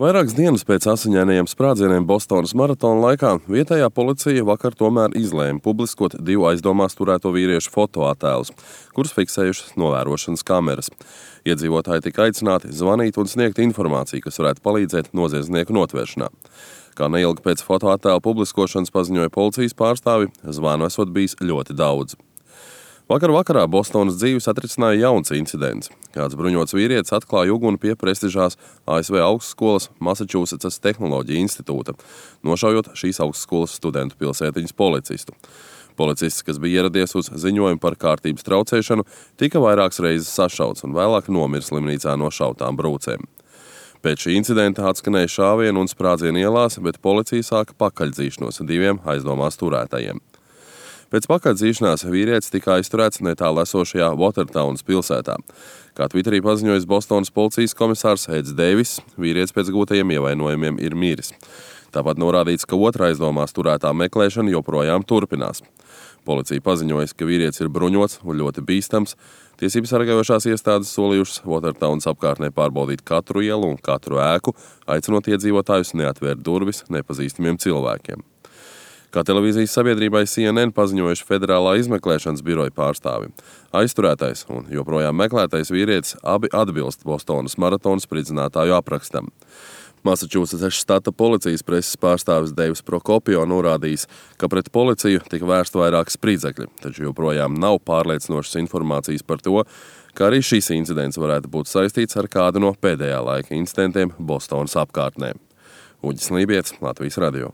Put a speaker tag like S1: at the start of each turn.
S1: Vairākas dienas pēc asiņainajiem sprādzieniem Bostonas maratona laikā vietējā policija vakar tomēr izlēma publiskot 2 aizdomās turēto vīriešu fotoattēlus, kurus fiksējušas novērošanas kameras. Iedzīvotāji tika aicināti zvanīt un sniegt informāciju, kas varētu palīdzēt noziedznieku notvēršanā. Kā neilgi pēc fotoattēlu publiskošanas paziņoja policijas pārstāvi, zvanu esot bijis ļoti daudz. Vakar vakarā Bostonas dzīvi satricināja jauns incidents. Kāds bruņots vīrietis atklāja uguni pie prestižās ASV augstskolas Massachusetts Tehnoloģiju institūta, nošaujot šīs augstskolas studentu pilsētiņas policistu. Policists, kas bija ieradies uz ziņojumu par kārtības traucēšanu, tika vairākas reizes sašauts un vēlāk nomira slimnīcā no šautām brūcēm. Pēc šī incidenta atskanēja šāvienu un sprādzienu ielās, bet policija sāka pakaļdzīšanos 2 aizdomās turētajiem. Pēc pakaļdzīšanās vīrietis tika aizturēts netālu esošajā Watertownas pilsētā. Kā Twitterī paziņojis Bostonas policijas komisārs Eds Deivis, vīrietis pēc gūtajiem ievainojumiem ir miris. Tāpat norādīts, ka otra aizdomās turētā meklēšana joprojām turpinās. Policija paziņojas, ka vīrietis ir bruņots un ļoti bīstams. Tiesības sargājošās iestādes solījušas Watertownas apkārtnē pārbaudīt katru ielu un katru ēku, aicinot iedzīvotājus neatvērt durvis nepazīstamiem cilvēkiem. Kā televīzijas sabiedrībai CNN paziņojuši Federālā izmeklēšanas biroja pārstāvi. Aizturētais un joprojām meklētais vīrietis abi atbilst Bostonas maratona spridzinātāju aprakstam. Massachusetts štata policijas preses pārstāvis Deivs Prokopio norādījis, ka pret policiju tika vērsta vairāki spridzekļi, taču joprojām nav pārliecinošas informācijas par to, ka arī šis incidents varētu būt saistīts ar kādu no pēdējā laika incidentiem Bostonas apkārtnē. Uģis Lībietis, Latvijas radio.